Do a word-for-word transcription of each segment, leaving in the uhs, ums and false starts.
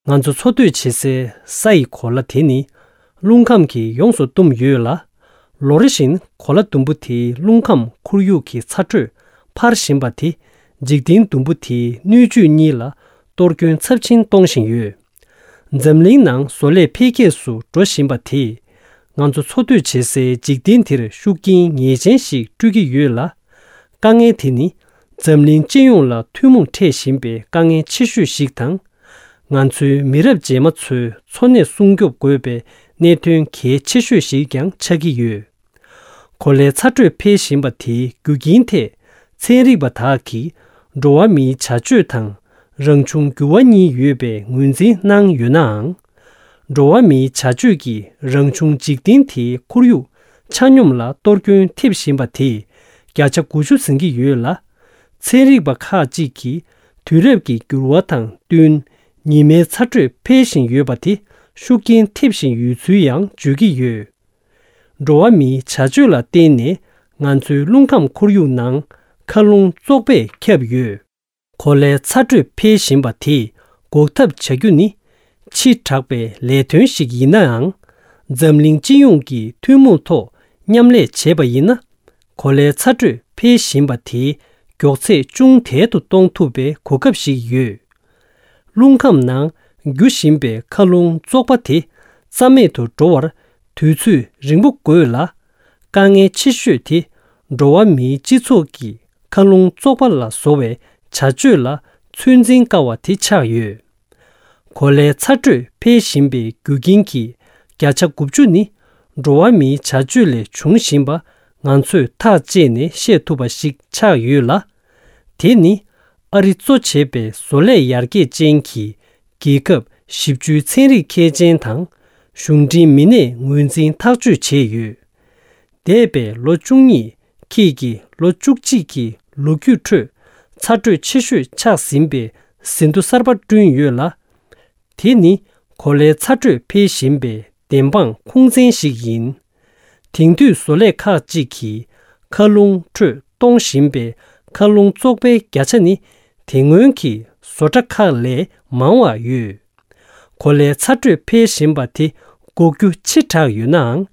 ང་ཚོ་འཚོ་སྡོད་བྱེད་སའི་ས་ཡི་གོ་ལ་དེ་ནི་རླུང་ཁམས་ཀྱིས་ཡོངས་སུ་བཏུམས་ཡོད་ལ། ལོ་རེ་བཞིན་གོ་ལ་ཟླུམ་པོ་དེའི་རླུང་ཁམས་ཁོར་ཡུག་གི་ཚ་དྲོད་འཕར་བཞིན་པ་དེ་འཇིག་རྟེན་ཟླུམ་པོ་དེའི་སྣོད་བཅུད་གཉིས་ལ་གཏོར་སྐྱོན་ཚབས་ཆེན་གཏོང་བཞིན་ཡོད། འཛམ་གླིང་ནང་བཟོ་ལས་འཕེལ་རྒྱས་སུ་འགྲོ་བཞིན་པ་དེས་ང་ཚོ་འཚོ་སྡོད་བྱེད་སའི་འཇིག་རྟེན་དེར་ཤུགས་རྐྱེན་ངེས་ཅན་ཞིག་སྤྲོད་ཀྱི་ཡོད་ལ། དཀའ་ངལ་དེ་ནི་འཛམ་གླིང་སྤྱི་ཡོངས་ལ་ཐུན་མོང་འཕྲད་བཞིན་པའི་དཀའ་ངལ་ཆེ་ཤོས་ཤིག་དང་། ང་ཚོའི་མི་རབས་རྗེས་མ་ཚོའི་འཚོ་གནས་སྲུང་སྐྱོབ་དགོས་པའི་གནད་དོན་གལ་ཆེ་ཤོས་ཤིག་ཀྱང་ཆགས་ཀྱི་ཡོད། གོ་ལའི་ཚ་དྲོད་འཕེལ་བཞིན་པ་དེའི་རྒྱུ་རྐྱེན་ཐད་ཚན་རིག་པ་དག་གིས་འགྲོ་བ་མིའི་བྱ་སྤྱོད་དང་རང་བྱུང་འགྱུར་བ་གཉིས་ཡོད་པའི་ངོས་འཛིན་གནང་ཡོད་ནའང་། འགྲོ་བ་མིའི་བྱ་སྤྱོད་ཀྱིས་རང་བྱུང་འཇིག་རྟེན་དེའི་ཁོར་ཡུག་ཆ་སྙོམས་ལ་གཏོར་སྐྱོན་ཐེབས་བཞིན་པ་དེས་བརྒྱ་ཆ་དགུ་བཅུ་ཟིན་གྱི་ཡོད་ལ། ཚན་རིག་པ་ཁག་ཅིག་གིས་དུས་རབས་ཀྱི་འགྱུར་བ་དང་བསྟུན་ཉི་མའི་ཚ་དྲོད་འཕེལ་བཞིན་ཡོད་པ་དེ་ཤུགས་རྐྱེན་ཐེབས་བཞིན་ཡོད་ཚུལ་ཡང་བརྗོད་ཀྱི་ཡོད། འགྲོ་བ་མིའི་བྱ་སྤྱོད་ལ་བརྟེན་ནས་ང་ཚོའི་རླུང་ཁམས་ཁོར་ཡུག་ནང་མཁའ་རླུང་བཙོག་པས་ཁྱབ་ཡོད། གོ་ལའི་ཚ་དྲོད་འཕེལ་བཞིན་པ་དེས་འགོག་ཐབས་བྱ་རྒྱུ་ནི་ཕྱི་དྲགས་པའི་ལས་དོན་ཞིག་ཡིན་ནའང་། འཛམ་གླིང་སྤྱི་ཡོངས་ཀྱིས་ཐུན་མོང་ཐོག་མཉམ་ལས་བྱས་པ་ཡིན་ན། གོ་ལའི་ཚ་དྲོད་འཕེལ་བཞིན་པ་དེའི་མགྱོགས་ཚད་ཅུང་དལ་དུ་གཏོང་ཐུབ་པའི་གོ་སྐབས་ཤིག་ཡོད། རླུང་ཁམས་ནང་རྒྱུ་བཞིན་པའི་མཁའ་རླུང་བཙོག་པ་དེ་རྩ་མེད་དུ་འགྲོ་བར་དུས་ཚོད་རིང་པོ་དགོས་ལ། དཀའ་ངལ་ཆེ་ཤོས་དེ་འགྲོ་བ་མིའི་སྤྱི་ཚོགས་ཀྱི་མཁའ་རླུང་བཙོག་པ་ལ་བཟོ་བའི་བྱ་སྤྱོད་ལ་ཚོད་འཛིན་དཀའ་བ་དེ་ཆགས་ཡོད། གོ་ལའི་ཚ་དྲོད་འཕེལ་བཞིན་པའི་རྒྱུ་རྐྱེན་གྱི་བརྒྱ་ཆ་དགུ་བཅུ་ནི་འགྲོ་བ་མིའི་བྱ་སྤྱོད་ལས་བྱུང་བཞིན་པ་ང་ཚོས་ཐག་བཅད་ནས་བཤད་ཐུབ་པ་ཞིག་ཆགས་ཡོད་ལ། དེ་ནི་ཨ་རི་གཙོ་བྱས་པའི་བཟོ་ལས་ཡར་རྒྱས་ཅན་གྱི་རྒྱལ་ཁབ་བཞི་བཅུའི་ཚན་རིག་མཁས་ཅན་དང་གཞུང་འབྲེལ་མི་སྣས་ངོས་འཛིན་ཐག་གཅོད་བྱས་ཡོད། འདས་པའི་ལོ་བཅུ་གཉིས་ཁྱེད་ཀྱི་ལོ་བཅུ་གཅིག་གི་ལོ་རྒྱུས་ཁྲོད་ཚ་དྲོད་ཆེ་ཤོས་ཆགས་ཟིན་པའི་ཟིན་ཐོ་གསར་པ་བསྐྲུན་ཡོད་ལ། དེ་ནི་གོ་ལའི་ཚ་དྲོད་འཕེལ་བཞིན་པའི་བདེན་དཔང་ཁུངས་བཙན་ཞིག་ཡིན། དེང་དུས་བཟོ་ལས་ཁག་ཅིག་གིས་མཁའ་རླུང་ཁྲོད་གཏོང་བཞིན་པའི་མཁའ་རླུང་བཙོག་པའི་བརྒྱ་ཆ་ནི་དེ་སྔོན་གྱི་བཟོ་གྲྭ་ཁག་ལས་མང་བ་ཡོད། གོ་ལའི་ཚ་དྲོད་འཕེལ་བཞིན་པ་དེ་འགོག་རྒྱུ་ཕྱི་དྲགས་ཡོད་ནའང་།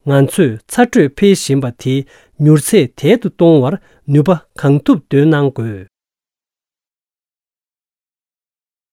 ང་ཚོས་ཚ་དྲོད་འཕེལ་བཞིན་པ་དེའི་མྱུར་ཚད་དལ་དུ་གཏོང་བར་ནུས་པ་གང་ཐུབ་འདོན་གནང་དགོས།